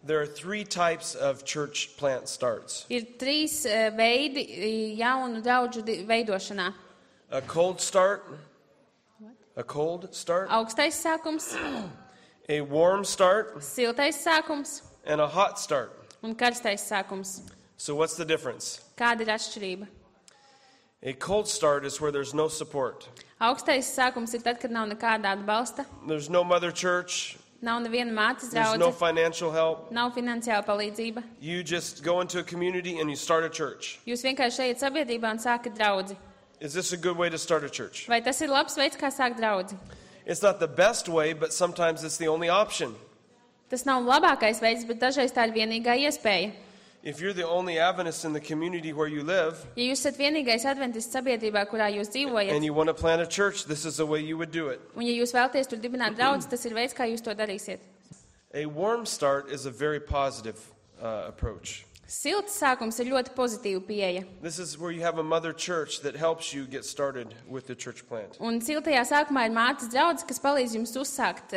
There are three types of church plant starts. Ir trīs veidi jaunu draudžu veidošanā. A cold start. A cold start. Augstais sākums, A warm start. siltais sākums And a hot start. un karstais sākums. So what's the difference? Kāda ir atšķirība? A cold start is where there's no support. Augstais sākums ir tad, kad nav nekāda atbalsta, There's no mother church. nav neviena mātes There's no draudze, financial help. nav finansiāla palīdzība. You just go into a community and you start a church. Jūs vienkārši ejat sabiedrībā un sākat draudzi. Is this a good way to start a church? Vai tas ir labs veids, kā sākt draudzi? It's not the best way, but sometimes it's the only option. Tas nav labākais veids, bet dažreiz tā ir vienīgā iespēja. If you're the only Adventist in the community where you live Ja jūs esat vienīgais adventists sabiedrībā, kurā jūs dzīvojat, and you want to plant a church, this is the way you would do it. un ja jūs vēlaties tur dibināt draudzi, tas ir veids, kā jūs to darīsiet. A warm start is a very positive approach. Silts sākums ir ļoti pozitīva pieeja. This is where you have a mother church that helps you get started with the church plant. Un siltajā sākumā ir mātes draudze, kas palīdz jums uzsākt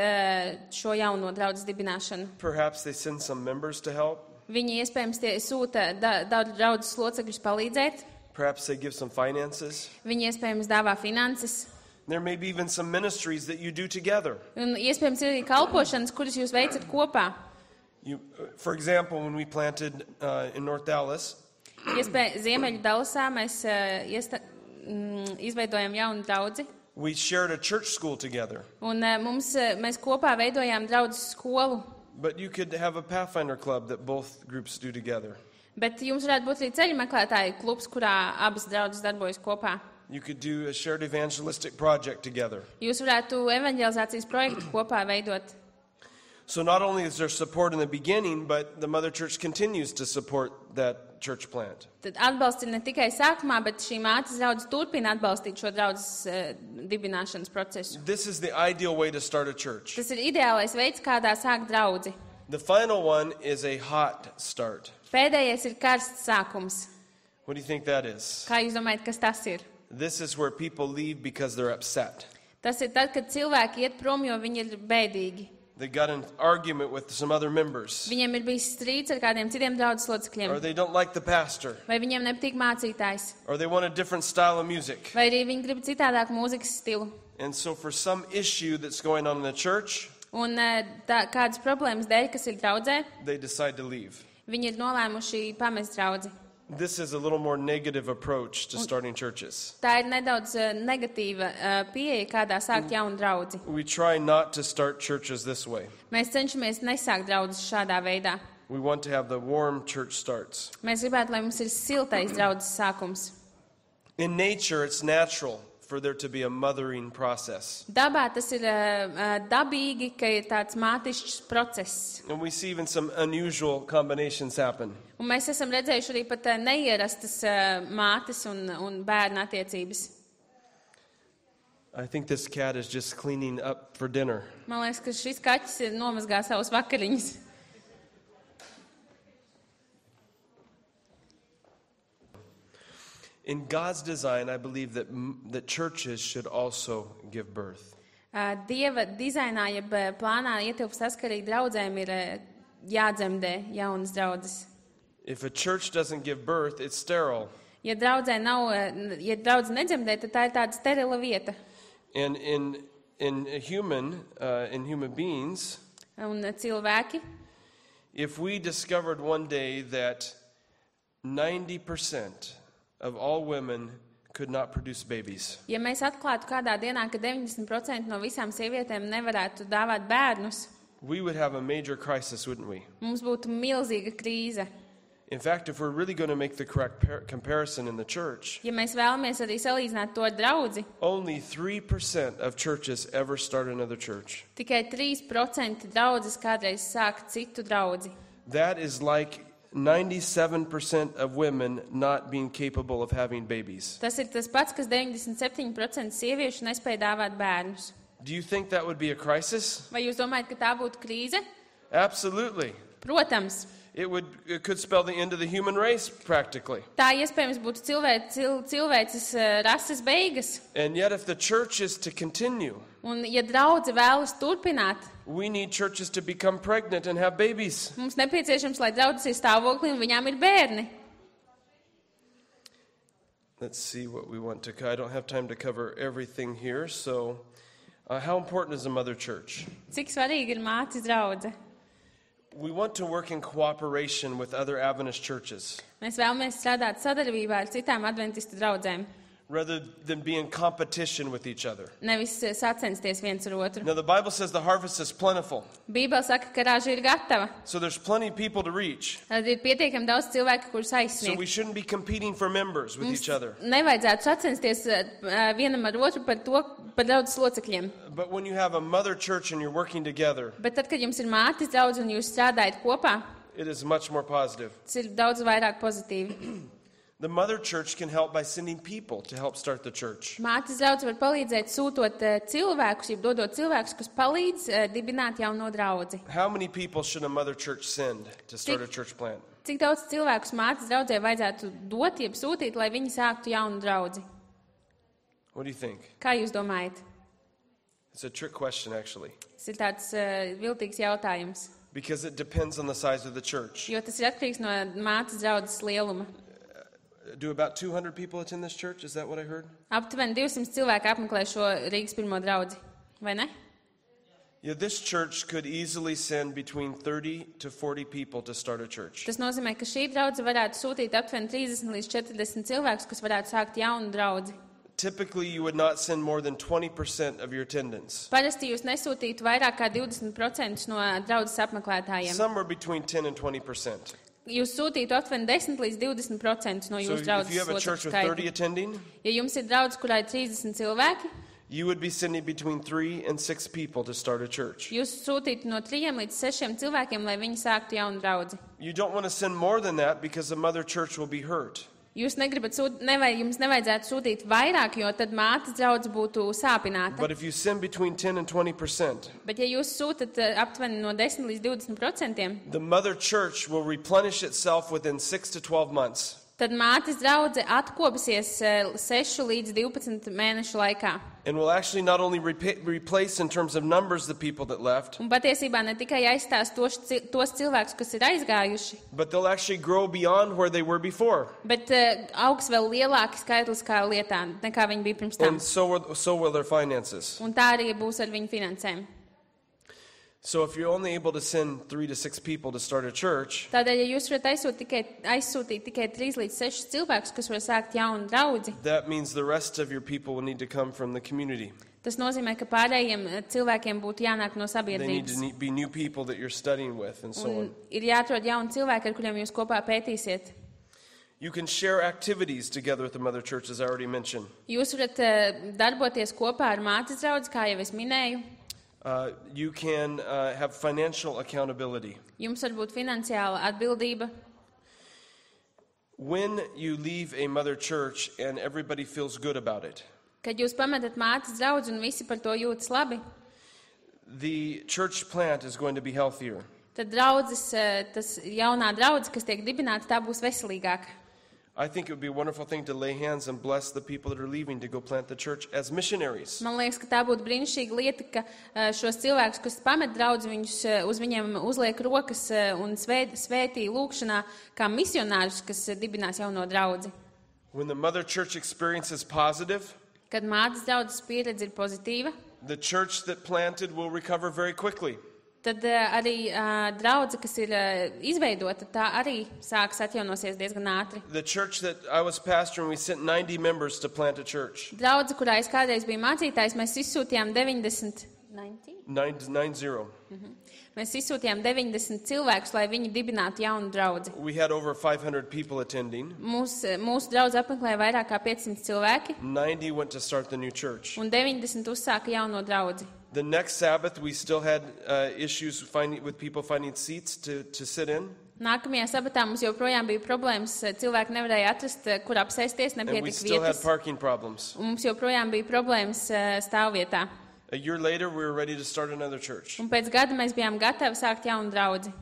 šo jauno draudzes dibināšanu. Perhaps they send some members to help. Viņi iespējams sūta daudz draudzes locekļus palīdzēt. Perhaps they give some finances. Viņi iespējams dāvā finanses. There may be even some ministries that you do together. Un iespējams ir arī kalpošanas, kuras jūs veicat kopā. For example, when we planted in North Dallas, Ziemeļu Dallasā mēs izveidojam jaunu draudzi. we shared a church school together. Un mēs kopā veidojām draudzes skolu. But you could have a Pathfinder club that both groups do together. Bet jums varētu būt arī ceļu meklētāju klubs, kurā abas draudzes darbojas kopā. You could do a shared evangelistic project together. Jūs varētu evanģelizācijas projektu kopā veidot. So not only is there support in the beginning, but the mother church continues to support that church plant. Tad atbalsts ir ne tikai sākumā, bet šī mātes draudze turpina atbalstīt šo draudzes dibināšanas procesu. This is the ideal way to start a church. Tas ir ideālais veids, kādā sākt draudzi. The final one is a hot start. Pēdējais ir karsts sākums. What do you think that is? Kā jūs domājat, kas tas ir? This is where people leave because they're upset. Tas ir tad, kad cilvēki iet prom, jo viņi ir bēdīgi. They got an argument with some other members. Viņiem ir bijis strīds ar kādiem citiem draudzes locekļiem. Or they don't like the pastor. Vai viņiem nepatīk mācītājs. Or they want a different style of music. Vai arī viņi grib citādāku mūzikas stilu. And so for some issue that's going on in the church, Un kādas problēmas dēļ, kas ir draudzē, they decide to leave. viņi ir nolēmuši pamest draudzi. This is a little more negative approach to starting churches. Tā ir nedaudz negatīva pieeja, kādā sākt jaunu draudzi. We try not to start churches this way. Mēs cenšamies nesākt draudzes šādā veidā. We want to have the warm church starts. Mēs gribētu, lai mums ir siltais draudzes sākums. In nature, it's natural for there to be a mothering process. Dabā tas ir dabīgi, ka ir tāds mātišķs process. And we see even some unusual combinations happen. Un mēs esam redzējuši arī pat neierastas mātes un bērnu attiecības. I think this cat is just cleaning up for dinner. Man liekas, ka šis kaķis ir nomazgājis savus vakariņus. In God's design, I believe that churches should also give birth. Dieva dizainā, jeb plānā ietilpst tas, ka arī draudzēm ir jādzemdē jaunas draudzes. If a church doesn't give birth, it's sterile. Ja draudze nedzemdē, tad tā ir tāda sterila vieta. And in human beings, Un cilvēki, if we discovered one day that 90% of all women could not produce babies, ja mēs atklātu kādā dienā, ka 90% no visām sievietēm nevarētu dāvāt bērnus, we would have a major crisis, wouldn't we? mums būtu milzīga krīze. In fact, if we're really going to make the correct comparison in the church, Ja mēs vēlamies arī salīdzināt to ar draudzi, only 3% of churches ever start another church. tikai 3% draudzes kādreiz sāk citu draudzi. That is like 97% of women not being capable of having babies. Tas ir tas pats, kas 97% sieviešu nespēja dāvāt bērnus. Do you think that would be a crisis? Vai jūs domājat, ka tā būtu krīze? Absolutely. Protams. It could spell the end of the human race practically. Tā iespējams būtu cilvēces rases beigas. And yet if the church is to continue, Un, ja draudze vēlas turpināt, we need churches to become pregnant and have babies. mums nepieciešams, lai draudzes ir stāvoklī un viņām ir bērni. Let's see what we want to I don't have time to cover everything here, so how important is a mother church? Cik svarīgi ir mātes draudze? We want to work in cooperation with other Adventist churches Mēs vēlamies strādāt sadarbībā ar citām adventistu draudzēm, rather than be in competition with each other. nevis sacensties viens ar otru. Now, the Bible says the harvest is plentiful, Bībele saka, ka raža ir gatava. so there's plenty of people to reach. Tad ir pietiekami daudz cilvēku, kurus So aizsniegt. we shouldn't be competing for members with each other. Nevajadzētu sacensties vienam ar otru par draudzes locekļiem. But when you have a mother church and you're working together, Bet tad, kad jums ir mātes draudze un jūs strādājat kopā, it is much more positive. tas ir daudz vairāk pozitīvi. The mother church can help by sending people to help start the church. Mātes draudze var palīdzēt sūtot cilvēkus, jeb dodot cilvēkus, kas palīdz dibināt jauno draudzi. How many people should a mother church send to start a church plant? Cik daudz cilvēkus mātes draudzē vajadzētu dot, jeb sūtīt, lai viņi sāktu jaunu draudzi? What do you think? Kā jūs domājat? It's a trick question, actually, Tas ir tāds viltīgs jautājums, because it depends on the size of the church. jo tas ir atkarīgs no mātes draudzes lieluma. Do about 200 people attend this church? Is that what I heard? Aptuveni 200 cilvēki apmeklē šo Rīgas pirmo draudzi, vai ne? Yeah, this church could easily send between 30 to 40 people to start a church. Tas nozīmē, ka šī draudze varētu sūtīt aptuveni 30 līdz 40 cilvēkus, kas varētu sākt jaunu draudzi. Typically, you would not send more than 20% of your attendance. Parasti jūs nesūtītu vairāk kā 20% no draudzes apmeklētājiem. Somewhere between 10 and 20%. Jūs sūtītu aptuveni 10 līdz 20% no So jūsu if draudzes you have a church locekļu with 30 skaita. attending, Ja jums ir draudze, kurā ir 30 cilvēki, you would be sending between 3 and 6 people to start a church. jūs sūtītu no 3 līdz 6 cilvēkiem, lai viņi sāktu jaunu draudzi. You don't want to send more than that because the mother church will be hurt. Jūs negribat jums nevajadzētu sūtīt vairāk, jo tad mātes draudze būtu sāpināta. But if you send between 10 and 20%, Bet ja jūs sūtat aptuveni no 10 līdz 20%, the mother church will replenish itself within 6 to 12 months. tad mātes draudze atkopsies 6 līdz 12 mēnešu laikā. And will actually not only replace in terms of numbers the people that left, Un patiesībā ne tikai aizstās tos cilvēkus, kas ir aizgājuši, but they'll actually grow beyond where they were before. bet augs vēl lielāki skaitliskā lietā, nekā viņi bija pirms tam. And so will their finances. Un tā arī būs ar viņu finansēm. So if you're only able to send 3 to 6 people to start a church, Tādēļ, ja jūs varat aizsūtīt tikai 3 līdz 6 cilvēkus, kas var sākt jaunu draudzi, that means the rest of your people will need to come from the community. tas nozīmē, ka pārējiem cilvēkiem būtu jānāk no They need sabiedrības. to be new people that you're studying with and so Un on. ir jāatrod jauni cilvēki, ar kuriem jūs kopā pētīsiet. You can share activities together with the mother church, as I already mentioned. Jūs varat darboties kopā ar mātes draudzi, kā jau es minēju. You can have financial accountability. Jums var būt finansiāla atbildība. When you leave a mother church and everybody feels good about it, Kad jūs pametat mātes draudzi un visi par to jūtas labi, the church plant is going to be healthier. tad tas jaunā draudze, kas tiek dibināta, tā būs veselīgāka. I think it would be a wonderful thing to lay hands and bless the people that are leaving to go plant the church as missionaries. Man liekas, ka tā būtu brīnišķīga lieta, ka šos cilvēkus, kas pamet draudzi, uz viņiem uzliek rokas un svētī lūkšanā kā misionārus, kas dibinās jauno draudzi. When the mother church experience is positive, Kad mātes draudzes pieredze ir pozitīva, the church that planted will recover very quickly. tad arī draudze, kas ir izveidota, tā arī sāks atjaunosies diezgan ātri. The church that I was pastoring, we sent 90 members to plant a church. Draudze, kurā es kādreiz biju mācītājs, mēs izsūtījām 90 cilvēkus, lai viņi dibinātu jaunu draudzi. We had over 500 people attending. Mūsu draudze apmeklēja vairāk kā 500 cilvēki, 90 went to start the new church. un 90 uzsāka jauno draudzi. The next Sabbath, we still had issues with people finding seats to sit in. Nākamajā sabatā mums joprojām bija problēmas. Cilvēki nevarēja atrast, kur apsēsties, And we nepietika still had vietas. parking problems. Un mums joprojām bija problēmas stāvvietā. A year later, we were ready to start another church. Un pēc gada mēs bijām gatavi sākt jaunu draudzi.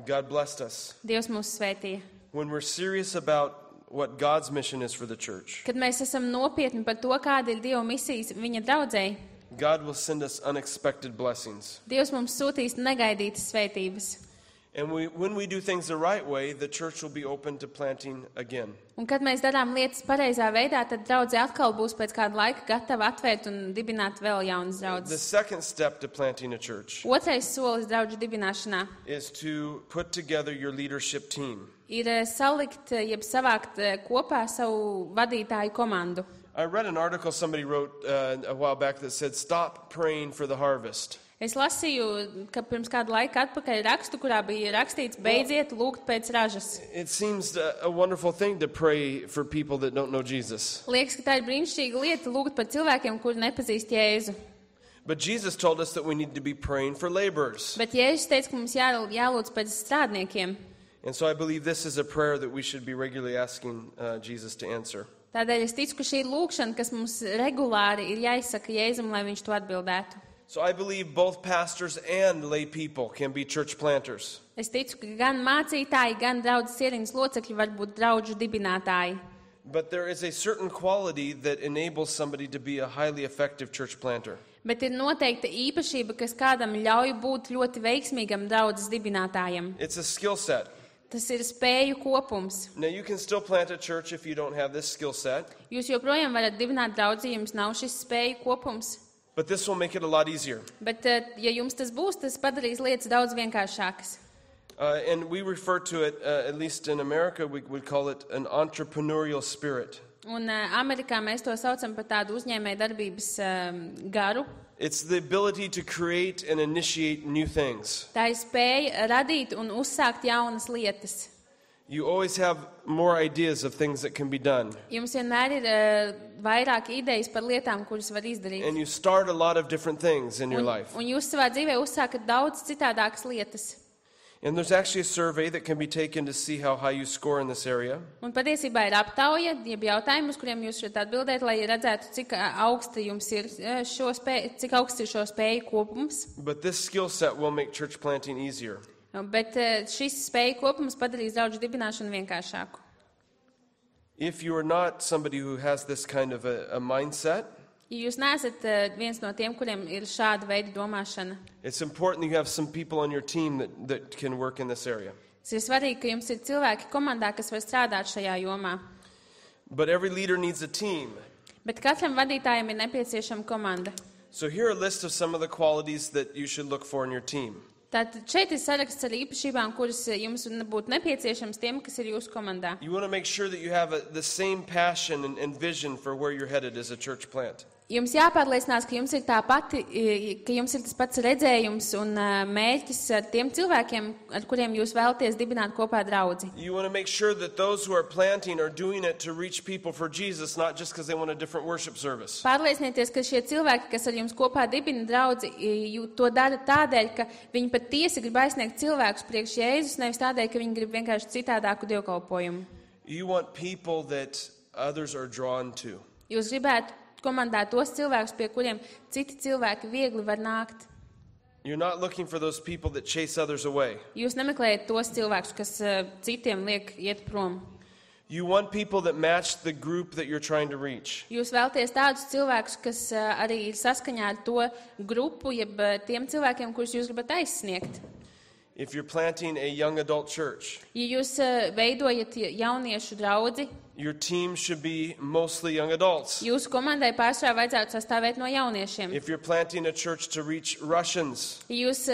God blessed us. Dievs mūs svētīja. When we're serious about what God's mission is for the church, Kad mēs esam nopietni par to, kāda ir Dieva misijas viņa draudzei, God will send us unexpected blessings. Dievs mums sūtīs negaidītas svētības. And when we do things the right way, the church will be open to planting again. Un kad mēs darām lietas pareizā veidā, tad draudze atkal būs pēc kāda laika gatava atvērt un dibināt vēl jaunas The draudzes. second step to planting a church Otrais solis draudžu dibināšanā is to put together your leadership team. ir salikt, jeb savākt kopā savu vadītāju komandu. I read an article somebody wrote a while back that said, "Stop praying for the harvest." Es lasīju, ka pirms kāda laika atpakaļ rakstu, kurā bija rakstīts, beidziet lūgt pēc ražas. It seems a wonderful thing to pray for people that don't know Jesus. Liekas, ka tā ir brīnišķīga lieta lūgt par cilvēkiem, kuri nepazīst Jēzu. But Jesus told us that we need to be praying for laborers. Bet Jēzus teica, ka mums jālūdz pēc strādniekiem. And so I believe this is a prayer that we should be regularly asking Jesus to answer. Tādēļ es ticu, ka šī ir lūkšana, kas mums regulāri ir jāizsaka Jēzum, lai viņš to atbildētu. So I believe both pastors and lay people can be church planters. Es ticu, ka gan mācītāji, gan draudzes ieriņas locekļi var būt draudžu dibinātāji. But there is a certain quality that enables somebody to be a highly effective church planter. Bet ir noteikta īpašība, kas kādam ļauj būt ļoti veiksmīgam draudzes dibinātājam. It's a skill set. Tas ir spēju kopums. Now you can still plant a church if you don't have this skill set, Jūs joprojām varat dibināt draudzi, ja jums nav šis spēju kopums. but this will make it a lot easier. Bet, ja jums tas būs, tas padarīs lietas daudz vienkāršākas. And we refer to it, at least in America, we would call it an entrepreneurial spirit. Un Amerikā mēs to saucam par tādu uzņēmēju darbības garu. It's the ability to create and initiate new things. Tā ir spēja radīt un uzsākt jaunas lietas. You always have more ideas of things that can be done. Jums vienmēr ir vairāk idejas par lietām, kuras var izdarīt. And you start a lot of different things in your life. Un jūs savā dzīvē uzsākat daudz citādākas lietas. And there's actually a survey that can be taken to see how high you score in this area. Un patiesībā ir aptauja, jeb jautājumi, uz kuriem jūs varat atbildēt, lai redzētu, cik augsta jums ir cik augsts ir šo spēju kopums. But this skill set will make church planting easier. Bet šis spēju kopums padarīs draudžu dibināšanu vienkāršāku. If you are not somebody who has this kind of a mindset, Ja jūs neesat viens no tiem, kuriem ir šāda veida domāšana, it's important that you have some people on your team that can work in this area. tas ir svarīgi, ka jums ir cilvēki komandā, kas var strādāt šajā jomā. But every leader needs a team. Bet katram vadītājam ir nepieciešama komanda. So here are a list of some of the qualities that you should look for in your team. Tātad šeit ir saraksts ar īpašībām, kuras jums būtu nepieciešams tiem, kas ir jūsu komandā. You want to make sure that you have the same passion and vision for where you're headed as a church plant. Jums jāpārliecinās, ka jums ir ka jums ir tas pats redzējums un mērķis ar tiem cilvēkiem, ar kuriem jūs vēlaties dibināt kopā draudzi. You want to make sure that those who are planting are doing it to reach people for Jesus, not just because they want a different worship service. Pārliecinieties, ka šie cilvēki, kas ar jums kopā dibina draudzi, to dara tādēļ, ka viņi patiesi grib aizsniegt cilvēkus priekš Jēzus, nevis tādēļ, ka viņi grib vienkārši citādāku dievkalpojumu. You want people that others are drawn to. Jūs gribētu komandā tos cilvēkus, pie kuriem citi cilvēki viegli var nākt. You're not looking for those people that chase others away. Jūs nemeklējat tos cilvēkus, kas citiem liek iet prom. You want people that match the group that you're trying to reach. Jūs vēlaties tādus cilvēkus, kas arī ir saskaņā ar to grupu, jeb tiem cilvēkiem, kurus jūs gribat aizsniegt. If you're planting a young adult church, Ja jūs veidojat jauniešu draudzi, your team should be mostly young adults. jūsu komandai pārsvarā vajadzētu sastāvēt no jauniešiem. If you're planting a church to reach Russians, Ja jūs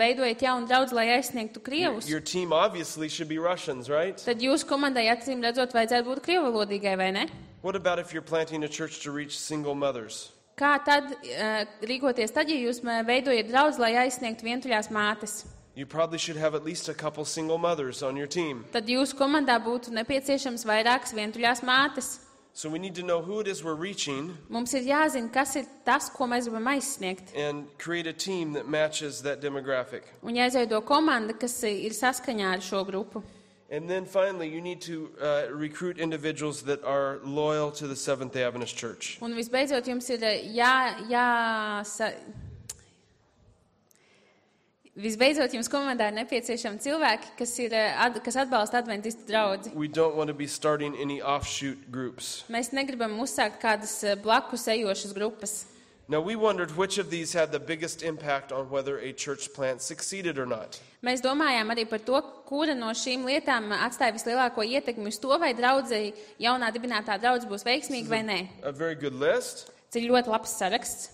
veidojat jaunu draudzi, lai aizsniegtu krievus, your team obviously should be Russians, right? tad jūsu komandai acīm redzot vajadzētu būt krievalodīgai, vai ne? What about if you're planting a church to reach single mothers? Kā tad rīkoties tad, ja jūs veidojat draudzi, lai aizsniegtu vientuļās mātes? You probably should have at least a couple single mothers on your team. Tad jūsu komandā būtu nepieciešams vairākas vientuļās mātes. So we need to know who it is we're reaching Mums ir jāzina, kas ir tas, ko mēs gribam aizsniegt. and create a team that matches that demographic. Un jāizveido komanda, kas ir saskaņā ar šo grupu. And then finally, you need to recruit individuals that are loyal to the Seventh-day Adventist Church. Un visbeidzot, jums ir Visbeidzot, jums komandā ir nepieciešami cilvēki, kas atbalsta adventistu draudzi. We don't want to be starting any offshoot groups. Mēs negribam uzsākt kādas blakus ejošas grupas. Now, we wondered which of these had the biggest impact on whether a church plant succeeded or not. Mēs domājām arī par to, kura no šīm lietām atstāja vislielāko ietekmi uz to, vai draudzei jaunā dibinātā draudze būs veiksmīga vai nē. A very good list, Tas ir ļoti labs saraksts.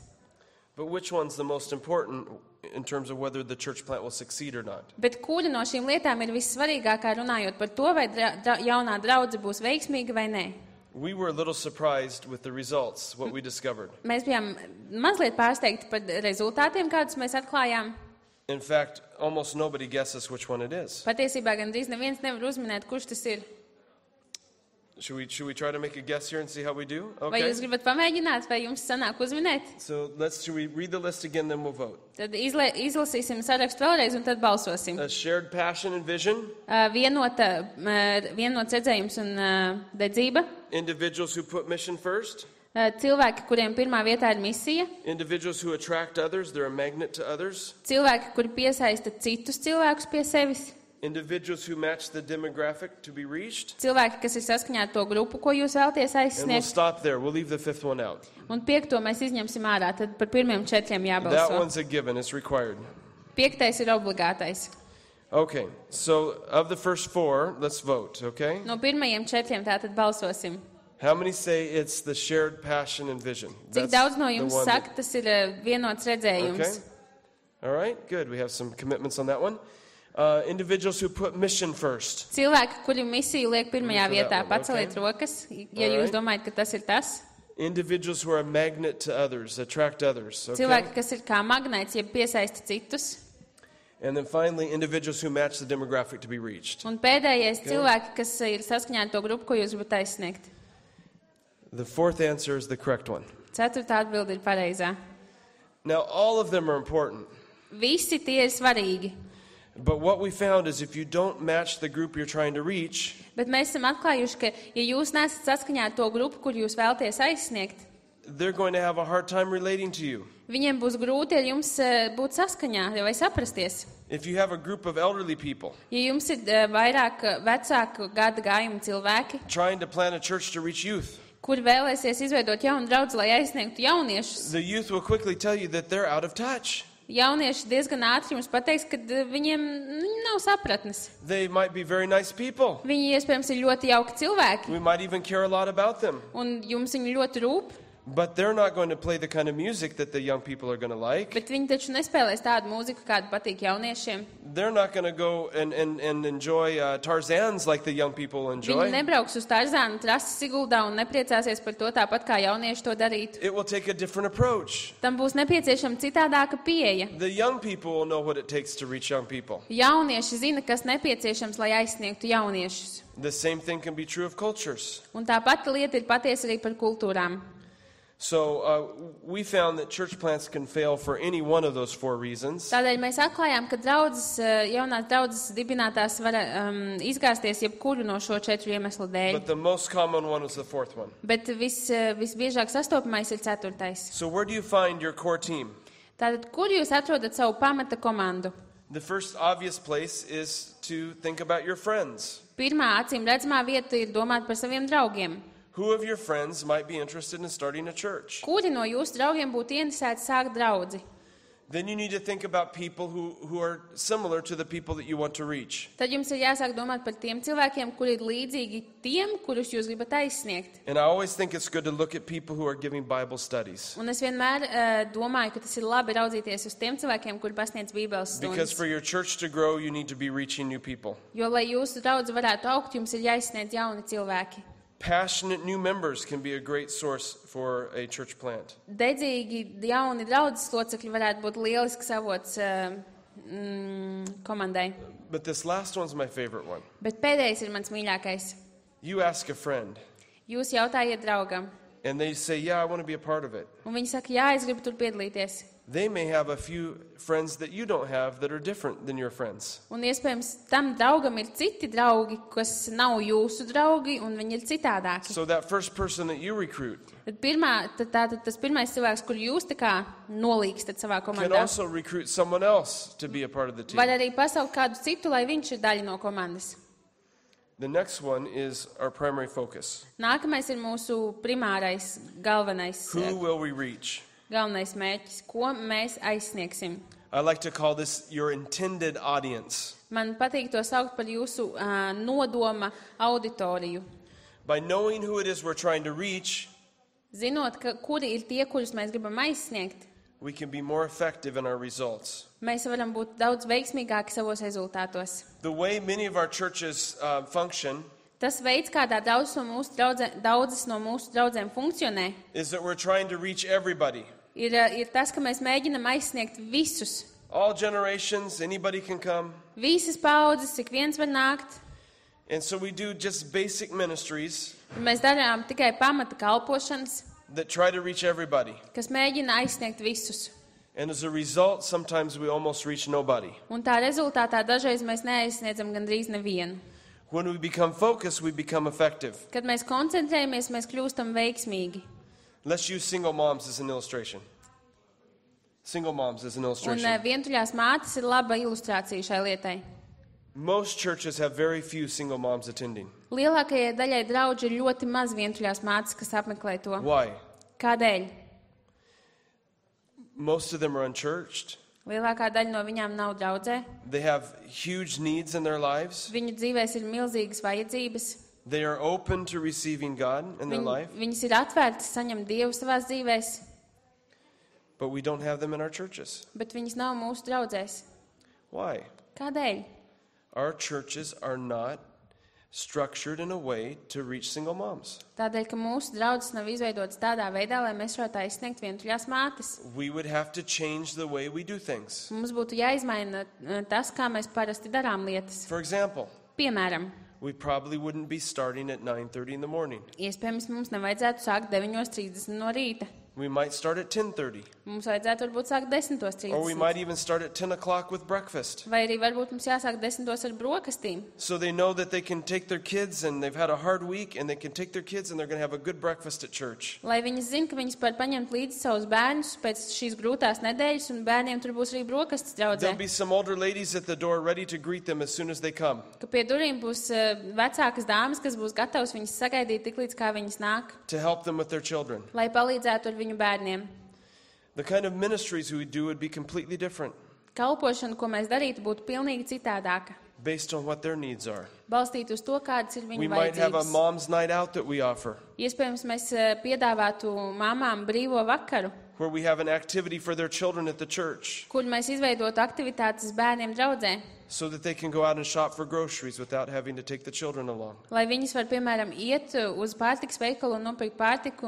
but which one's the most important in terms of whether the church plant will succeed or not? Bet kura no šīm lietām ir vissvarīgākā runājot par to, vai jaunā draudze būs veiksmīga vai nē? We were a little surprised with the results, what we discovered. Mēs bijām mazliet pārsteigti par rezultātiem, kādus mēs atklājām. In fact, almost nobody guesses which one it is. Patiesībā gandrīz neviens nevar uzminēt, kurš tas ir. Should we try to make a guess here and see how we do? Vai jūs gribat pamēģināt, vai jums sanāk uzminēt? So should we read the list again, then we'll vote. Tad izlasīsim sarakstu vēlreiz un tad balsosim. A shared passion and vision. Vienots redzējums un dedzība. Individuals who put mission first. Cilvēki, kuriem pirmā vietā ir misija. Individuals who attract others, they're a magnet to others. Cilvēki, kuri piesaista citus cilvēkus pie sevis. Individuals who match the demographic to be reached. Cilvēki, kas ir saskaņā ar to grupu, ko jūs vēlaties And we'll aizsniegt. stop there. We'll leave the fifth one out. Un piekto mēs izņemsim ārā, tad par pirmiem 4 That jābalso. one's a given. It's required. Piektais ir obligātais. Okay. So of the first 4, let's vote, okay? No pirmajiem 4 tātad balsosim. How many say it's the shared passion and vision? Cik That's daudz no the jums one saka, tas ir vienots Okay. redzējums? All right. Good. We have some commitments on that one. Individuals who put mission first. Cilvēki, kuri misiju liek pirmajā For that vietā, one, paceliet okay. rokas, ja All jūs right. domājat, ka tas ir tas. Individuals who are a magnet to others, attract others. Okay? Cilvēki, kas ir kā magnēts, jeb piesaista citus. And then finally, individuals who match the demographic to be reached. Un pēdējais Okay. cilvēki, kas ir saskaņā ar to grupu, ko jūs gribat aizsniegt. The fourth answer is the correct one. Ceturtā atbilde ir pareizā. Now, all of them are important. Visi tie ir svarīgi. But what we found is if you don't match the group you're trying to reach, Bet mēs esam atklājuši, ka, ja jūs nesat saskaņā ar to grupu, kur jūs vēlaties aizsniegt, they're going to have a hard time relating to you. viņiem būs grūti ar jums būt saskaņā vai saprasties. If you have a group of elderly people Ja jums ir vairāk vecāku gada gājumu cilvēki, trying to plant a church to reach youth, kuri vēlēsies izveidot jaunu draudzi, lai aizsniegtu jauniešus, the youth will quickly tell you that they're out of touch. jaunieši diezgan ātri jums pateiks, ka viņiem nav sapratnes. They might be very nice people. Viņi iespējams ir ļoti jauki cilvēki, We might even care a lot about them. un jums viņi ļoti rūp, But they're not going to play the kind of music that the young people are going to like. bet viņi taču nespēlēs tādu mūziku, kāda patīk jauniešiem. They're not going to go and enjoy Tarzans like the young people Viņi enjoy. nebrauks uz Tarzānu trasi Siguldā un nepriecāsies par to tāpat, kā jaunieši to darītu. It will take a different approach. Tam būs nepieciešama citādāka pieeja. The young people will know what it takes to reach young people. Jaunieši zina, kas nepieciešams, lai aizsniegtu jauniešus. The same thing can be true of cultures. Un tā pati lieta ir patiesa arī par kultūrām. So we found that church plants can fail for any one of those 4 reasons. Tādēļ mēs atklājām, ka jaunās draudzes dibinātās var izgāzties jebkuru no šo 4 iemeslu dēļ. But the most common one was the 4th one. Bet visbiežāk sastopamais ir 4. So where do you find your core team? Tātad, kur jūs atrodat savu pamata komandu? The first obvious place is to think about your friends. Pirmā acīm redzamā vieta ir domāt par saviem draugiem. Who of your friends might be interested in starting a church? Kuri no jūsu draugiem būtu interesēti sākt draudzi? Then you need to think about people who are similar to the people that you want to reach. Tad jums ir jāsāk domāt par tiem cilvēkiem, kuri ir līdzīgi tiem, kurus jūs gribat aizsniegt. And I always think it's good to look at people who are giving Bible studies. Un es vienmēr domāju, ka tas ir labi raudzīties uz tiem cilvēkiem, kuri pasniedz Bībeles Because stundas. for your church to grow, you need to be reaching new people. Jo, lai jūsu draudze varētu augt, jums ir jāizsniedz jauni cilvēki. Passionate new members can be a great source for a church plant. Dedzīgi jauni draudzes locekļi varētu būt lielisks avots komandai. But this last one's my favorite one. Bet pēdējais ir mans mīļākais. You ask a friend, Jūs jautājiet draugam, and they say, yeah, I want to be a part of it. un viņi saka, jā, es gribu tur piedalīties. they may have a few friends that you don't have that are different than your friends. Un iespējams tam draugam ir citi draugi, kas nav jūsu draugi, un viņi ir citādāki. So that first person that you recruit Tad tas pirmais cilvēks, kur jūs tā kā nolīkstat savā can komandā, also recruit someone else to be a part of the team. var arī pasaukt kādu citu, lai viņš ir daļa no komandas. The next one is our primary focus. Nākamais ir mūsu primārais, galvenais Who will we reach? mērķis, ko mēs aizsniegsim. I like to call this your intended audience. Man patīk to saukt par jūsu nodoma auditoriju. By knowing who it is we're trying to reach, Zinot, kuri ir tie, kurus mēs gribam aizsniegt, we can be more effective in our results. mēs varam būt daudz veiksmīgāki savos rezultātos. The way many of our churches function Tas veids, kādā daudzas no mūsu draudzēm funkcionē, is that we're trying to reach everybody. ir tas, ka mēs mēģinam aizsniegt visus. All generations, anybody can come. Visas paudzes, ik viens var nākt. And so we do just basic ministries Mēs darām tikai pamata kalpošanas, that try to reach everybody. kas mēģina aizsniegt visus. And as a result, sometimes we almost reach nobody. Un tā rezultātā dažreiz mēs neaizsniedzam gandrīz nevienu. When we become focused, we become effective. Kad mēs koncentrējamies, mēs kļūstam veiksmīgi. Let's use single moms as an illustration. Single moms as an Un illustration. vientuļās mātes ir laba ilustrācija šai lietai. Most churches have very few single moms attending. Lielākajai daļai draudži ir ļoti maz vientuļās mātes, kas apmeklē to. Why? Kādēļ? Most of them are unchurched. Lielākā daļa no viņām nav draudzē. They have huge needs in their lives. Viņu dzīvēs ir milzīgas vajadzības. They are open to receiving God in their life, Viņas ir atvērtas saņemt Dievu savās dzīvēs, but we don't have them in our churches. bet viņas nav mūsu draudzēs. Why? Kādēļ? Our churches are not structured in a way to reach single moms. Tādēļ, ka mūsu draudzes nav izveidotas tādā veidā, lai mēs varētu aizsniegt vientuļās mātes. We would have to change the way we do things. Mums būtu jāizmaina tas, kā mēs parasti darām lietas. For example, Piemēram, we probably wouldn't be starting at 9:30 in the morning. iespējams, mums nevajadzētu sākt 9:30 no rīta. We might start at 10:30, Mums vajadzētu varbūt sākt 10:30. or we might even start at 10 o'clock with breakfast. Vai arī varbūt mums jāsāk 10:00 ar brokastīm. So they know that they can take their kids and they've had a hard week and they can take their kids and they're going to have a good breakfast at church. Lai viņas zina, ka viņas var paņemt līdzi savus bērnus pēc šīs grūtās nedēļas, un bērniem tur būs arī brokastis draudzē. There'll be some older ladies at the door ready to greet them as soon as they come. Ka pie durvīm būs vecākas dāmas, kas būs gatavas viņas sagaidīt tik līdz kā viņas nāk, To help them with their children. lai palīdzētu ar viņu bērniem. The kind of ministries we would do would be completely different Kalpošana, ko mēs darītu, būtu pilnīgi citādāka. based on what their needs are. Balstīt uz to, kādas ir We viņu might have a vajadzības. mom's night out that we offer, Iespējams, mēs piedāvātu mamām brīvo vakaru, where we have an activity for their children at the church kur mēs izveidotu aktivitātes bērniem draudzē, so that they can go out and shop for groceries without having to take the children along. lai viņas var, piemēram, iet uz pārtikas veikalu un nopirkt pārtiku,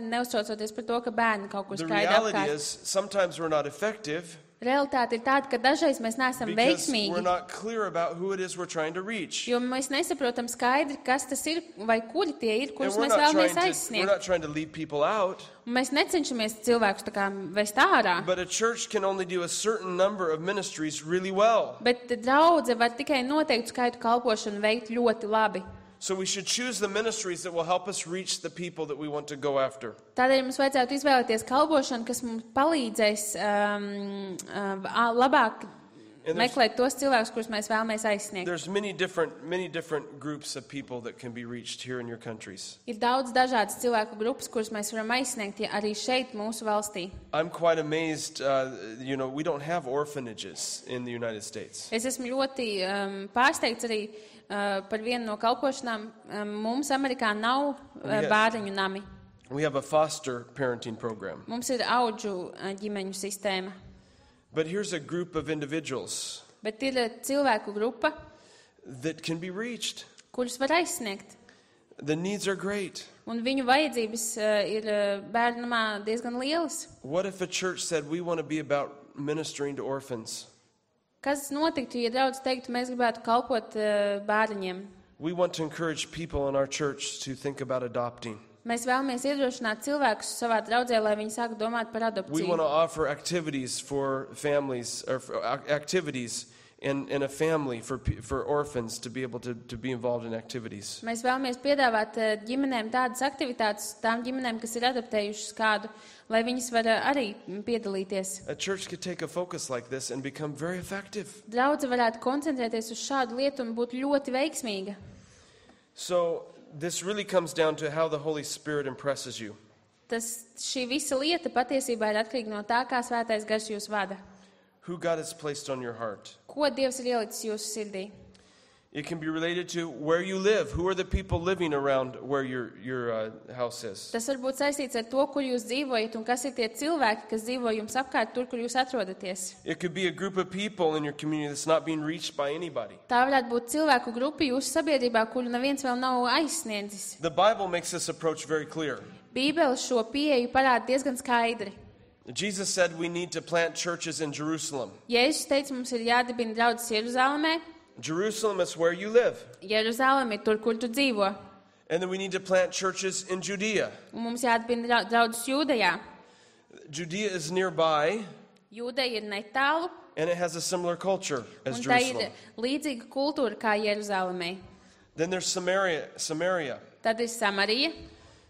neuztraucoties par to, ka bērni kaut kur The skraida reality apkārt. is sometimes we're not effective Realitāte ir tāda, ka dažreiz mēs neesam because we're veiksmīgi, not clear about who it is we're trying to reach. jo mēs nesaprotam skaidri, kas tas ir vai kuri tie ir, And kurus we're mēs not, vēlamies we're aizsniegt. not trying to lead people out, Un mēs necenšamies cilvēkus tā kā vest ārā, but a church can only do a certain number of ministries really well. bet draudze var tikai noteiktu skaitu kalpošanu veikt ļoti labi. So we should choose the ministries that will help us reach the people that we want to go after. Tādēļ mums vajadzētu izvēlēties kalpošanu, kas mums palīdzēs labāk And there's- meklēt tos cilvēkus, kurus mēs vēlamies aizsniegt. There's many different groups of people that can be reached here in your countries. Ir daudz dažādas cilvēku grupas, kuras mēs varam aizsniegt ja arī šeit, mūsu valstī. I'm quite amazed, we don't have orphanages in the United States. Es esmu ļoti pārsteigts arī par vienu no kalpošanām. Mums Amerikā nav bērniņu nami. We have a foster parenting program. Mums ir audžu ģimeņu sistēma. But here's a group of individuals Bet ir cilvēku grupa, that can be reached. kurus var aizsniegt. The needs are great. Un viņu vajadzības ir bērnamā diezgan lielas. What if a church said, we want to be about ministering to orphans? Kas notiktu, ja draudz teiktu, mēs gribētu kalpot bērniņiem? We want to encourage people in our church to think about adopting. Mēs vēlamies iedrošināt cilvēkus savā draudzē, lai viņi sāktu domāt par We adopciju. want to offer activities for families, or for activities in a family for orphans to be able to be involved in activities. Mēs vēlamies piedāvāt ģimenēm tādas aktivitātes, tām ģimenēm, kas ir adoptējušas kādu, lai viņas var arī piedalīties. A church could take a focus like this and become very effective. Draudze varētu koncentrēties uz šādu lietu un būt ļoti veiksmīga. So this really comes down to how the Holy Spirit impresses you. Šī visa lieta patiesībā ir atkarīga no tā, kā Svētais Gars jūs vada. Who God has placed on your heart. Ko Dievs ir ielicis jūsu sirdī? It can be related to where you live. Who are the people living around where your house is? Tas var būt saistīts ar to, kur jūs dzīvojat un kas ir tie cilvēki, kas dzīvo jums apkārt tur, kur jūs atrodaties. It could be a group of people in your community that's not being reached by anybody. Tā varētu būt cilvēku grupa jūsu sabiedrībā, kuru neviens vēl nav aizsniedzis. The Bible makes this approach very clear. Bībele šo pieeju parāda diezgan skaidri. Jesus said we need to plant churches in Jerusalem. Jēzus teica, mums ir jādibina draudzes Jeruzalemē. Jerusalem is where you live. Jeruzaleme ir tur, kur tu dzīvo. And then we need to plant churches in Judea. Un mums jādibina draudzes Jūdejā. Judea is nearby, Jūdeja ir netālu, and it has a similar culture as un tā ir Jerusalem. līdzīga kultūra kā Jeruzalemē. Then there's Samaria. Tad ir Samarija.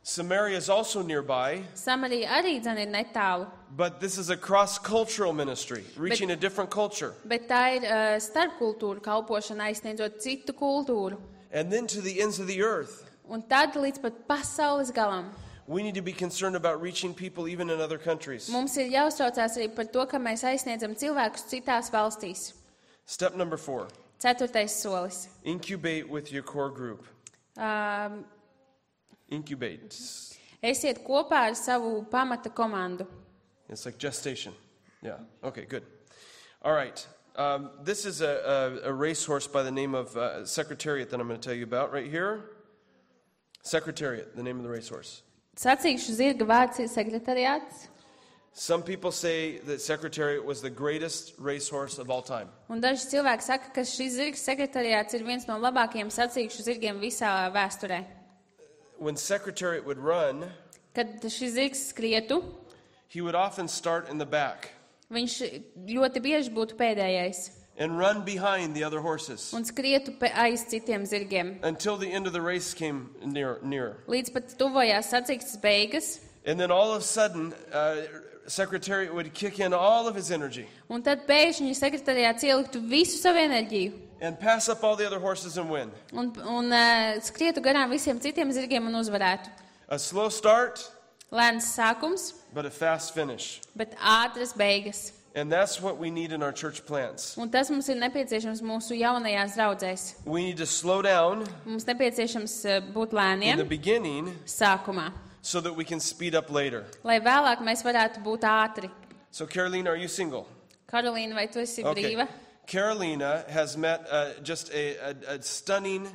Samaria is also nearby, Samarija arī dzen ir netālu, but this is a cross-cultural ministry, reaching a different culture. bet tā ir starpkultūra kalpošana, aizsniedzot citu kultūru. And then to the ends of the earth. Un tad līdz pat pasaules galam. We need to be concerned about reaching people even in other countries. Mums ir jāuztraucās arī par to, ka mēs aizsniedzam cilvēkus citās valstīs. Step number 4, 4. solis. incubate with your core group. Incubate. Esiet kopā ar savu pamata komandu. It's like gestation. Yeah. Okay, good. All right. This is a racehorse by the name of Secretariat that I'm going to tell you about right here. Secretariat, the name of the racehorse. Sacīkšu zirga vārds ir sekretariāts. Some people say that Secretariat was the greatest racehorse of all time. Un daži cilvēki saka, ka šis zirgs sekretariāts ir viens no labākajiem sacīkšu zirgiem visā vēsturē. When Secretariat would run, Kad šis zirgs skrietu, he would often start in the back viņš ļoti bieži būtu pēdējais and run behind the other horses un skrietu aiz citiem zirgiem. until the end of the race came near. Līdz pat tuvojās sacīkstes beigas, And then all of a sudden, Secretariat would kick in all of his energy un tad pēkšņi sekretariāts ieliktu visu savu enerģiju and pass up all the other horses and win. un skrietu garām visiem citiem zirgiem un uzvarētu. A slow start, Lēns sākums, but a fast finish. bet ātras beigas. And that's what we need in our church plants. Un tas mums ir nepieciešams mūsu jaunajās draudzēs. We need to slow down Mums nepieciešams būt in the lēniem beginning sākumā, so that we can speed up later. lai vēlāk mēs varētu būt ātri. So, Carolina, are you single? Karolīna, vai tu esi brīva? Carolina has met just a stunning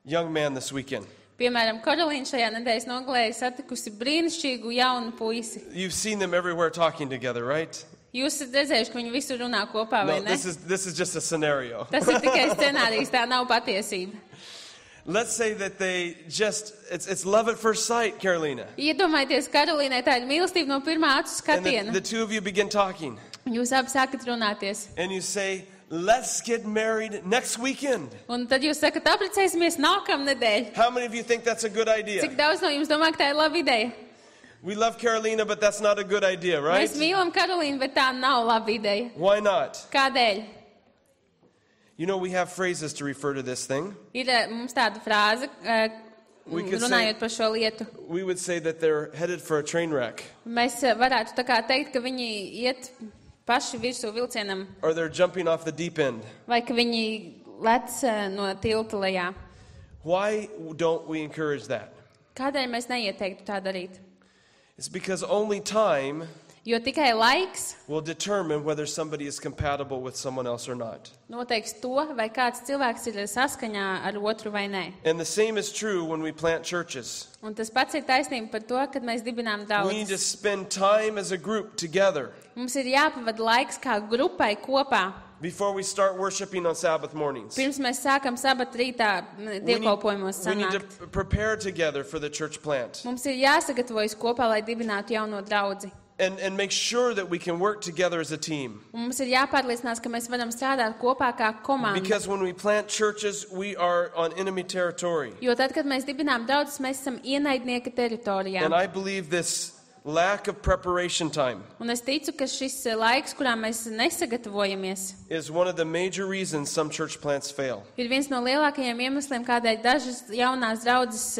young man this weekend. Piemēram, Karolīna šajā nedēļas nogalē ir satikusi brīnišķīgu jaunu puisi. You've seen them everywhere talking together, right? Jūs esat redzējuši, ka viņi visur runā kopā, vai No, ne? this is just a scenario. Tas ir tikai scenārijs, tā nav patiesība. Let's say that they just, it's love at first sight, Carolina. Iedomājieties, Karolīnai tā ir mīlestība no pirmā acu And skatiena. the two of you begin talking. Jūs abi sākat runāties. And you say, let's get married next weekend. Un tad jūs sakat, apprecēsimies nākamnedēļ. How many of you think that's a good idea? Cik daudz no jums domā, ka tā ir laba ideja? We love Carolina, but that's not a good idea, right? Mēs mīlam Karolīnu, bet tā nav laba ideja. Why not? Kādēļ? You know, we have phrases to refer to this thing. Ir mums tāda frāze, We could say- runājot par šo lietu. We would say that they're headed for a train wreck, Mēs varētu tā kā teikt, ka viņi iet paši virsū vilcienam, or they're jumping off the deep end. vai ka viņi lec no tilta lejā. Why don't we encourage that? Kādēļ mēs neieteiktu tā darīt? It's because only time Jo tikai laiks will determine whether somebody is compatible with someone else or not. noteiks to, vai kāds cilvēks ir saskaņā ar otru vai nē. And the same is true when we plant churches. Un tas pats ir taisnība par to, kad mēs dibinām We need to draugus. spend time as a group together. Mums ir jāpavada laiks kā grupai kopā. Before we start worshiping on Sabbath mornings. Pirms mēs sākam sabata rītā dievkalpojumos We need to sanākt. prepare together for the church plant. Mums ir jāsagatavojas kopā, lai dibinātu jauno draudzi. And make sure that we can work together as a team. Un mums ir jāpārliecinās, ka mēs varam strādāt kopā kā komanda. Because when we plant churches, we are on enemy territory. Jo tad, kad mēs dibinām draudzes, mēs esam ienaidnieka teritorijā. And I believe this lack of preparation time Un es ticu, ka šis laiks, kurā mēs nesagatavojamies, is one of the major reasons some church plants fail. ir viens no lielākajiem iemesliem, kādēļ dažas jaunās draudzes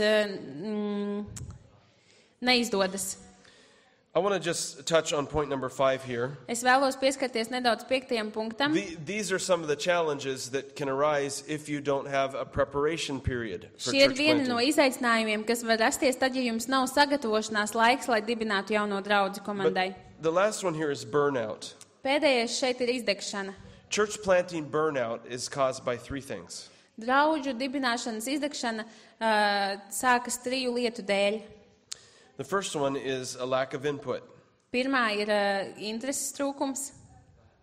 neizdodas. I want to just touch on point number 5 here. Es vēlos pieskarties nedaudz 5. punktam. These are some of the challenges that can arise if you don't have a preparation period for Šie ir church vieni no planting. izaicinājumiem, kas var rasties tad, ja jums nav sagatavošanās laiks, lai dibinātu jauno draudzi komandai. But the last one here is burnout. Pēdējais šeit ir izdegšana. Church planting burnout is caused by 3 things. Draudžu dibināšanas izdegšana sākas 3 lietu dēļ. The first one is a lack of input. Pirmā ir intereses trūkums.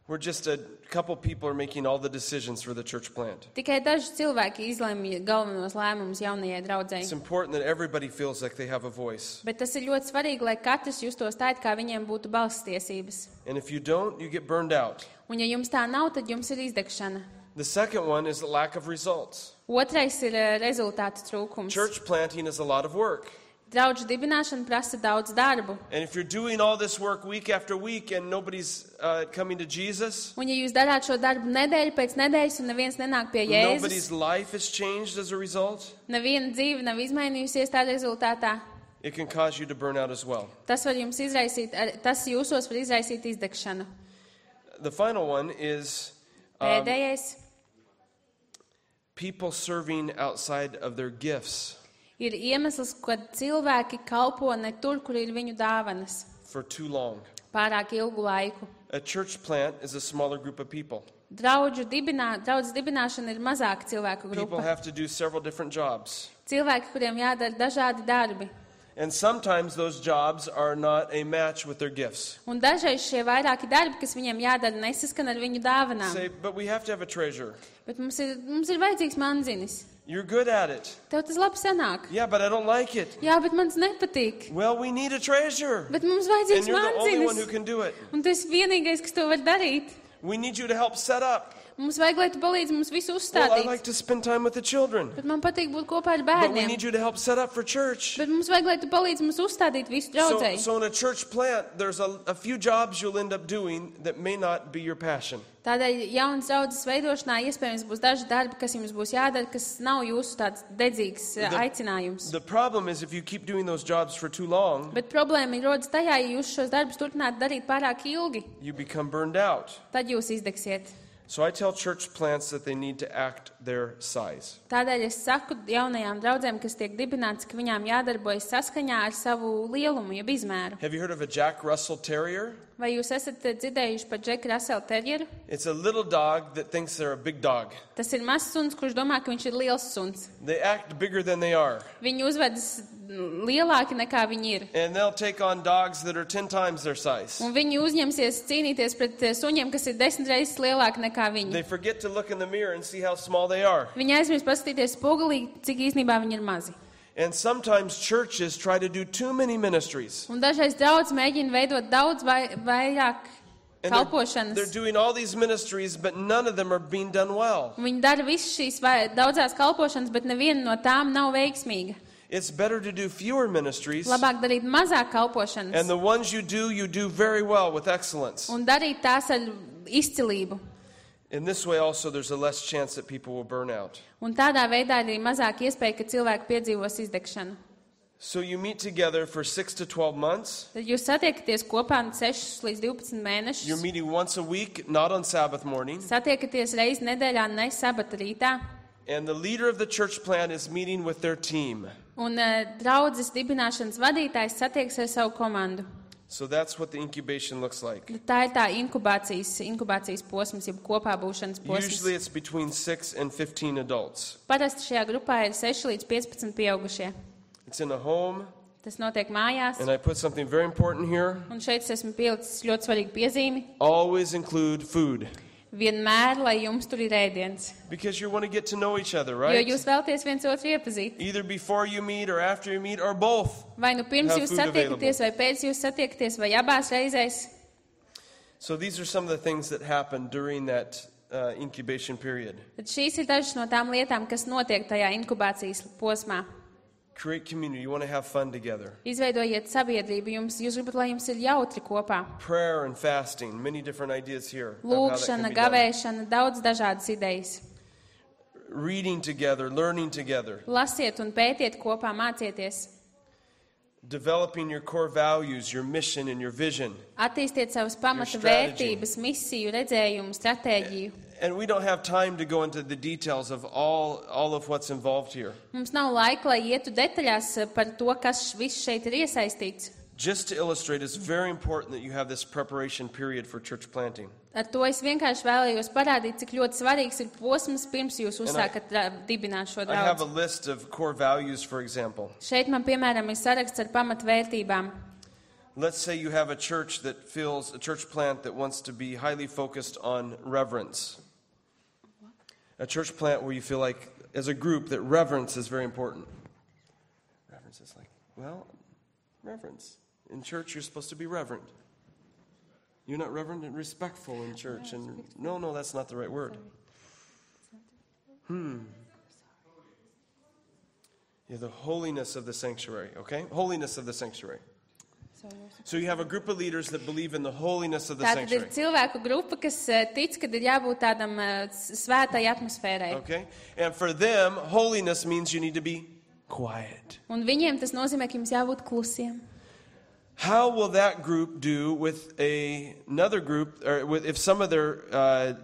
We're just a couple people are making all the decisions for the church plant. Tikai daži cilvēki izlemj galvenos lēmumus jaunajai draudzei. It's important that everybody feels like they have a voice. Bet tas ir ļoti svarīgi, lai katrs justos tā, it kā viņiem būtu balss tiesības. And if you don't, you get burned out. Un ja jums tā nav, tad jums ir izdegšana. The second one is the lack of results. Otrais ir rezultātu trūkums. Church planting is a lot of work. Draudžu dibināšana prasa daudz darbu. And if you're doing all this work week after week and nobody's coming to Jesus, Un ja jūs darāt šo darbu nedēļu pēc nedēļas un neviens nenāk pie nobody's Jēzus, life is changed as a result, neviena dzīve nav izmainījusies tā rezultātā, it can cause you to burn out as well. tas var jums izraisīt, tas jūsos var izraisīt izdegšanu. The final one is Pēdējais people serving outside of their gifts ir iemesls, kad cilvēki kalpo ne tur, kur ir viņu dāvanas, for too long. pārāk ilgu laiku. A church plant is a smaller group of people. Draudzes dibināšana ir mazāka cilvēku People grupa. have to do several different jobs. Cilvēki, kuriem jādara dažādi darbi. And sometimes those jobs are not a match with their gifts. Un dažreiz šie vairāki darbi, kas viņiem jādara, nesaskan ar viņu dāvanām. Say, but we have to have a treasure. Bet mums ir vajadzīgs manzinis. You're good at it. Tev tas labi sanāk. Yeah, but I don't like it. Jā, bet man tas nepatīk. Well, we need a treasure. Bet mums And vajadzīgs you're the only one who manzinis. can do it. Un tu esi vienīgais, kas to var darīt. We need you to help set up. Mums vajag, lai tu palīdzi mums visu Well, I uzstādīt. like to spend time with the children. Bet man patīk būt kopā ar But we bērniem. need you to help set up for church. Bet mums vajag, lai tu palīdzi mums uzstādīt visu draudzēji. So in a church plant, there's a few jobs you'll end up doing that may not be your passion. Tādēļ jaunas draudzes veidošanā iespējams būs daži darbi, kas jums būs jādara, kas nav jūsu tāds dedzīgs aicinājums. The problem is if you keep doing those jobs for too long, Bet problēma ir rodas tajā, ja jūs šos darbus turpināt darīt pārāk ilgi, you become burned out. tad jūs izdegsiet. So I tell church plants that they need to act their size. Tādēļ es saku jaunajām draudzēm, kas tiek dibināts, ka viņām jādarbojas saskaņā ar savu lielumu, jeb izmēru. Have you heard of a Jack Russell Terrier? Vai jūs esat dzirdējuši par Džeku Raselu terjeru? It's a little dog that thinks they're a big dog. Tas ir mazs suns, kurš domā, ka viņš ir liels suns. They act bigger than they are. Viņi uzvedas lielāki nekā viņi ir. And they'll take on dogs that are 10 times their size. Un viņi uzņemsies cīnīties pret suņiem, kas ir 10 reizes lielāki nekā viņi. They forget to look in the mirror and see how small they are. Viņi aizmirst paskatīties spogulī, cik īstenībā viņi ir mazi. And sometimes churches try to do too many ministries. Un dažreiz draudzes mēģina veidot daudz vairāk And they're kalpošanas. doing all these ministries, but none of them are being done well. Un viņi dara visas šīs daudzās kalpošanas, bet neviena no tām nav veiksmīga. It's better to do fewer ministries. Labāk darīt mazāk And kalpošanas the ones you do very well with excellence. un darīt tās ar izcilību. In this way also there's a less chance that people will burn out. Un tādā veidā ir arī mazāk iespēja, ka cilvēki piedzīvos izdegšanu. So you meet together for 6 to 12 months. Tad jūs satiekaties kopā 6 līdz 12 You're mēnešus. meeting once a week, not on Sabbath morning. Satiekaties reizi nedēļā, ne sabata rītā. And the leader of the church plant is meeting with their team. Un draudzes dibināšanas vadītājs satieks ar savu komandu. So that's what the incubation looks like. Tā ir tā inkubācijas posms, jeb kopā būšanas Usually posms. it's between 6 and 15 adults. Parasti šajā grupā ir 6 līdz 15 pieaugušie. It's in a home, Tas notiek mājās. and I put something very important here. Un šeit es esmu pielicis ļoti svarīgu piezīmi. Always include food. vienmēr, lai jums tur ir ēdiens. Because you want to get to know each other, Jo right? jūs vēlaties viens otru iepazīt. Either before you meet or after you meet or both. Vai nu pirms Have jūs food satiekaties, vai pēc jūs satiekaties, vai abās reizēs. So these are some of the things that happen during that incubation period. Tad šīs ir dažas no tām lietām, kas notiek tajā inkubācijas posmā. Create community. You want to have fun together. Izveidojiet sabiedrību, jūs gribat, lai jums ir jautri kopā. Prayer and fasting. Many different ideas here. of how that can Lūkšana, be done. gavēšana, daudz dažādas idejas. Reading together, learning together. Lasiet un pētiet kopā, mācieties. Developing your core values, your mission, and your vision. Attīstiet savas pamata strategy. vērtības, misiju, redzējumu, stratēģiju. And we don't have time to go into the details of all of what's involved here. Mums nav laika, lai ietu detaļās par to, kas viss šeit ir iesaistīts. Just to illustrate, it's very important that you have this preparation period for church planting. Ar to es vienkārši vēlējos parādīt, cik ļoti svarīgs ir posms, pirms jūs uzsākat dibināt šo I have a draudzi. list of core values, for example. Šeit man, piemēram, ir saraksts ar pamatvērtībām. Let's say you have a church plant that wants to be highly focused on reverence. A church plant where you feel like, as a group, that reverence is very important. Reverence is like, reverence. In church, you're supposed to be reverent. You're not reverent and respectful in church. And no, that's not the right word. Yeah, the holiness of the sanctuary, okay? Holiness of the sanctuary. So you have a group of leaders that believe in the holiness of the Tātad ir sanctuary. cilvēku grupa, kas tic, ka ir jābūt tādam svētai atmosfērai. Okay? And for them, holiness means you need to be quiet. Un viņiem tas nozīmē, ka jums jābūt klusiem. How will that group do with another group, or if some of their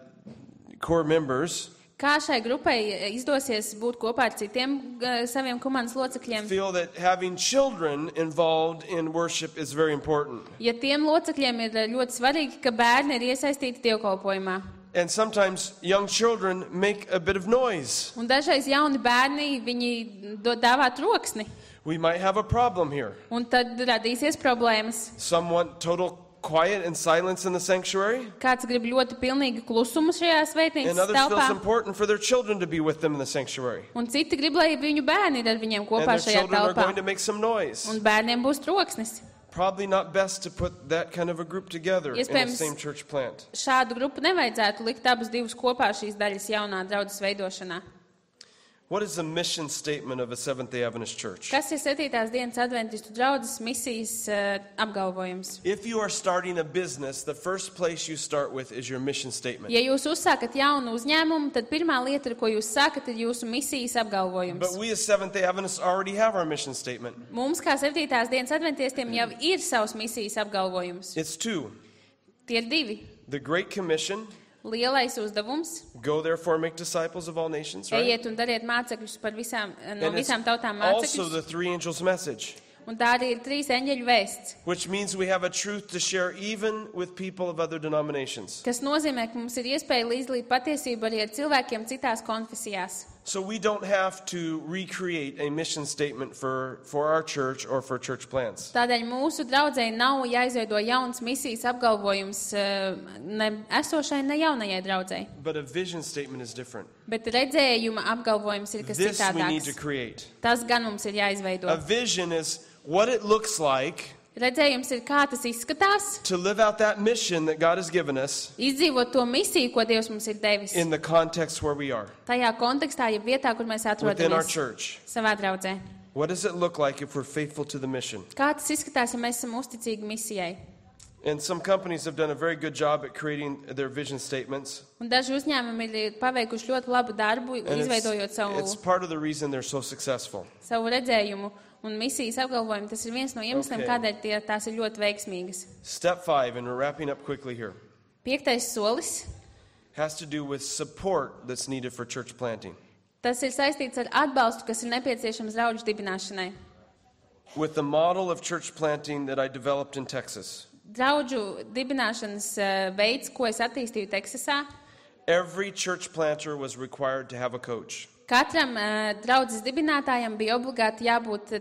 core members Kā šai grupai izdosies būt kopā ar citiem saviem komandas locekļiem? feel that having children involved in worship is very important? Ja tiem locekļiem ir ļoti svarīgi, ka bērni ir iesaistīti dievkalpojumā. And sometimes young children make a bit of noise. Un dažreiz jauni bērni, viņi dāvā troksni. We might have a problem here. Un tad radīsies problēmas. Some want total quiet and silence in the sanctuary, Kāds grib ļoti pilnīgi klusumu šajā and svētnīcas others feel it's telpā. important for their children to be with them in the sanctuary. Un citi grib, lai viņu bērni ir ar viņiem And kopā their šajā children are telpā. going to make some noise. Un bērniem būs troksnis. Probably not best to put that kind of a group together in the Iespējams, same church plant. Šādu grupu nevajadzētu likt abus divus kopā šīs daļas jaunā draudzes veidošanā. What is the mission statement of a Seventh-day Adventist church? Kas ir 7. dienas adventistu draudzes misijas apgalvojums? If you are starting a business, the first place you start with is your mission statement. Ja jūs uzsākat jaunu uzņēmumu, tad pirmā lieta, ko jūs sākat, ir jūsu misijas apgalvojums. But we as Seventh-day Adventists already have our mission statement. Mums, kā 7. dienas adventistiem, jau ir savs misijas apgalvojums. It's two. Tie ir divi. The Great Commission, Lielais uzdevums. go therefore make disciples of all nations, right? Ejiet un dariet mācekļus par visām, no And it's visām tautām also mācekļus. the three angels' message, Un tā arī ir 3 eņģeļu vēsts, which means we have a truth to share even with people of other denominations. kas nozīmē, ka mums ir iespēja līdzdalīt patiesību arī ar cilvēkiem citās konfesijās. So we don't have to recreate a mission statement for our church or for church plants. Tādēļ mūsu draudzei nav jāizveido jauns misijas apgalvojums ne esošai, ne jaunajai draudzei. But a vision statement is different. Bet redzējuma apgalvojums ir kas This we need to citādāks. create. Tas gan mums ir jāizveido. A vision is what it looks like Redzējums ir, kā tas izskatās, to live out that mission that God has given us izdzīvot to misiju, ko Dievs mums ir devis. in the context where we are, Tajā kontekstā, ja vietā, kur mēs within our atrodamies church. savā draudzē. What does it look like if we're faithful to the mission? Kā tas izskatās, ja mēs esam uzticīgi misijai? And some companies have done a very good job at creating their vision statements. Un daži uzņēmumi ir paveikuši ļoti labu darbu, And izveidojot it's part of the reason they're so successful. savu redzējumu un misijas apgalvojumu. Tas ir viens no iemesliem, Okay. kādēļ tās ir ļoti veiksmīgas. Step 5, and we're wrapping up quickly here, 5. solis. has to do with support that's needed for church planting. Tas ir saistīts ar atbalstu, kas ir nepieciešams draudžu dibināšanai. With the model of church planting that I developed in Texas, Draudžu dibināšanas veids, ko es attīstīju Teksasā, every church planter was required to have a coach. katram draudzes dibinātājam bija obligāti jābūt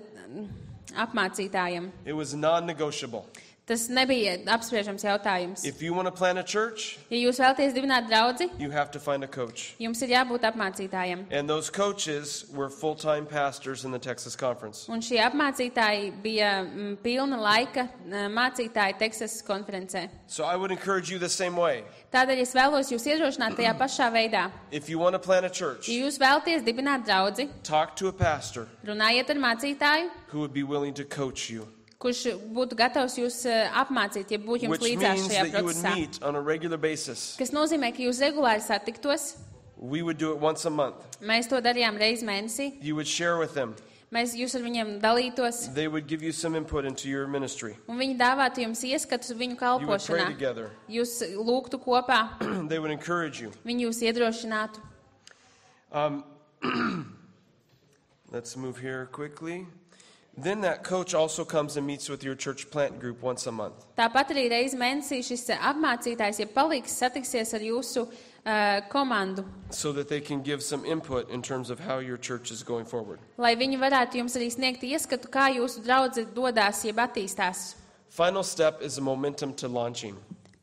apmācītājam. It was non-negotiable. Tas nebija apspriežams jautājums. If you want to plant a church, Ja jūs vēlaties dibināt draudzi, you have to find a coach. jums ir jābūt apmācītājiem. And those coaches were full-time pastors in the Texas Conference. Un šie apmācītāji bija pilna laika mācītāji Teksasas konferencē. So I would encourage you the same way. Tādēļ es vēlos jūs iedrošināt tajā pašā veidā. If you want to plant a church, Ja jūs vēlaties dibināt draudzi, talk to a pastor runājiet ar mācītāju, who would be willing to coach you, kurš būtu gatavs jūs apmācīt, ja būtu jums which līdzās means šajā that you would procesā. meet on a regular basis. Kas nozīmē, ka jūs regulāri satiktos. We would do it once a month. Mēs to darījām reizi mēnesī. You would share with them. Jūs ar viņiem dalītos, They would give you some input into your ministry. un viņi dāvātu jums ieskatus viņu You would pray kalpošanā. together. Jūs lūgtu kopā, They would encourage you. viņi jūs iedrošinātu. Let's move here quickly. Then that coach also comes and meets with your church plant group once a month. Tāpat arī reizi mēnesī šis apmācītājs, ja palīgs, satiksies ar jūsu komandu, So that they can give some input in terms of how your church is going forward. lai viņi varētu jums arī sniegt ieskatu, kā jūsu draudze dodās, jeb attīstās. Final step is a momentum to launching.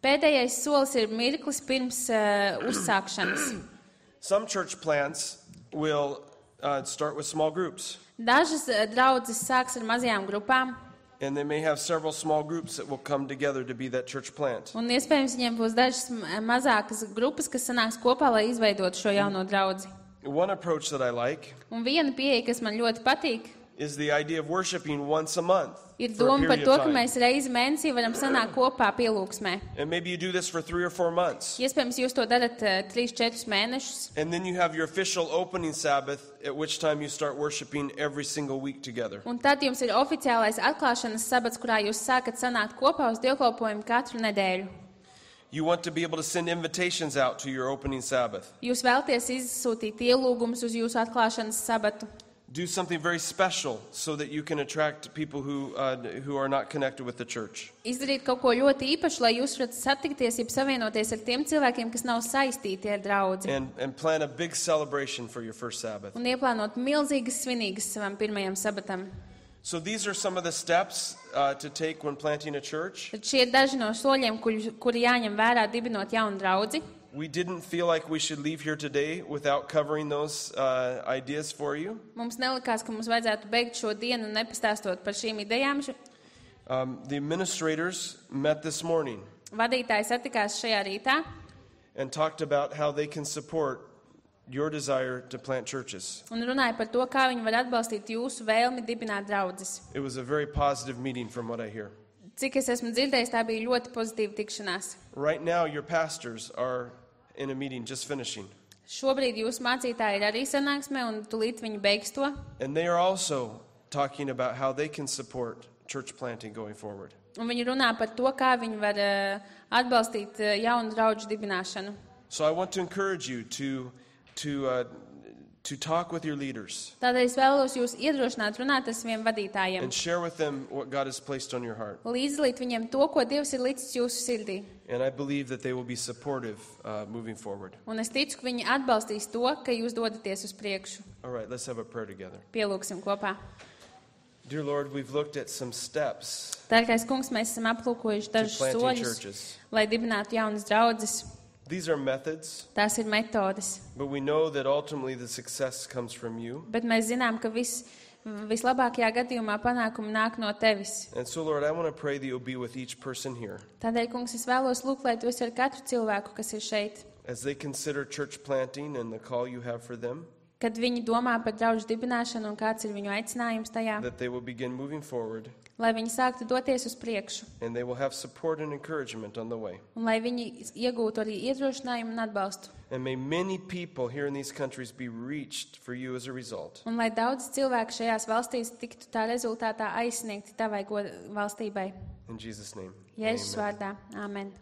Pēdējais solis ir mirklis pirms uzsākšanas. Some church plants will start with small groups, Dažas draudzes sāks ar mazajām grupām, and they may have several small groups that will come together to be that church plant. un iespējams viņiem būs dažas mazākas grupas, kas sanāks kopā, lai izveidotu šo jauno draudzi. One approach that I like Un viena pieeja, kas man ļoti patīk, is the idea of worshiping once a month ir for a doma par period to, of ka time. mēs reizi mēnesī varam sanākt kopā pielūgsmē. And maybe you do this for 3 or 4 months. Iespējams, jūs to darat 3-4 mēnešus, And then you have your official opening Sabbath, at which time you start worshiping every single week together. un tad jums ir oficiālais atklāšanas sabats, kurā jūs sākat sanākt kopā uz dievkalpojumu katru nedēļu. You want to be able to send invitations out to your opening Sabbath. Jūs vēlties izsūtīt ielūgumus uz jūsu atklāšanas sabatu. Do something very special so that you can attract people who are not connected with the church. Izdarīt kaut ko ļoti īpašu, lai jūs varat satikties, jeb savienoties ar tiem cilvēkiem, kas nav saistīti ar draudzi. And plan a big celebration for your first Sabbath. Un ieplānot milzīgas svinīgas savam pirmajam sabatam. So these are some of the steps to take when planting a church. Tad šie ir daži no soļiem, kuri jāņem vērā dibinot jaunu draudzi. We didn't feel like we should leave here today without covering those ideas for you. Mums nelikās, ka mums vajadzētu beigt šo dienu nepastāstot par šīm idejām. The administrators met this morning Vadītāji satikās šajā rītā and talked about how they can support your desire to plant churches. un runāja par to, kā viņi var atbalstīt jūsu vēlmi dibināt draudzes. It was a very positive meeting from what I hear. Cik es esmu dzirdējis, tā bija ļoti pozitīva tikšanās. Right now, your pastors are in a meeting just finishing, Šobrīd jūsu mācītāji ir arī sanāksmē, un tūlīt viņi beigs to. and they are also talking about how they can support church planting going forward. Un viņi runā par to, kā viņi var atbalstīt jaunu draudžu dibināšanu. So I want to encourage you to talk with your leaders Tādēļ es vēlos jūs iedrošināt runāt ar saviem vadītājiem. and share with them what God has placed on your heart. Līdzdalīt viņiem to, ko Dievs ir licis jūsu sirdī. And I believe that they will be supportive moving forward. Un es ticu, ka viņi atbalstīs to, ka jūs dodaties uz priekšu. All right, let's have a prayer together. Pielūgsim kopā. Dear Lord, we've looked at some steps Dārgais kungs, mēs esam aplūkojuši to dažus planting soļus, churches. lai dibinātu jaunas draudzes. These are methods, Tās ir metodes. but we know that ultimately the success comes from you. Bet mēs zinām, ka vislabākajā gadījumā panākumi nāk no tevis. And so, Lord, I want to pray that you'll be with each person here Tādēļ, kungs, es vēlos lūgt, lai tu esi ar katru cilvēku, kas ir šeit. as they consider church planting and the call you have for them, Kad viņi domā par draudžu dibināšanu un kāds ir viņu aicinājums tajā, that they will begin moving forward lai viņi sāktu doties uz priekšu and they will have support and encouragement on the way. un lai viņi iegūtu arī iedrošinājumu un atbalstu. And may many people here in these countries be reached for you as a result. Un lai daudz cilvēku šajās valstīs tiktu tā rezultātā aizsniegti tavai valstībai. In Jesus' name. Jēzus Amen. vārdā. Āmen.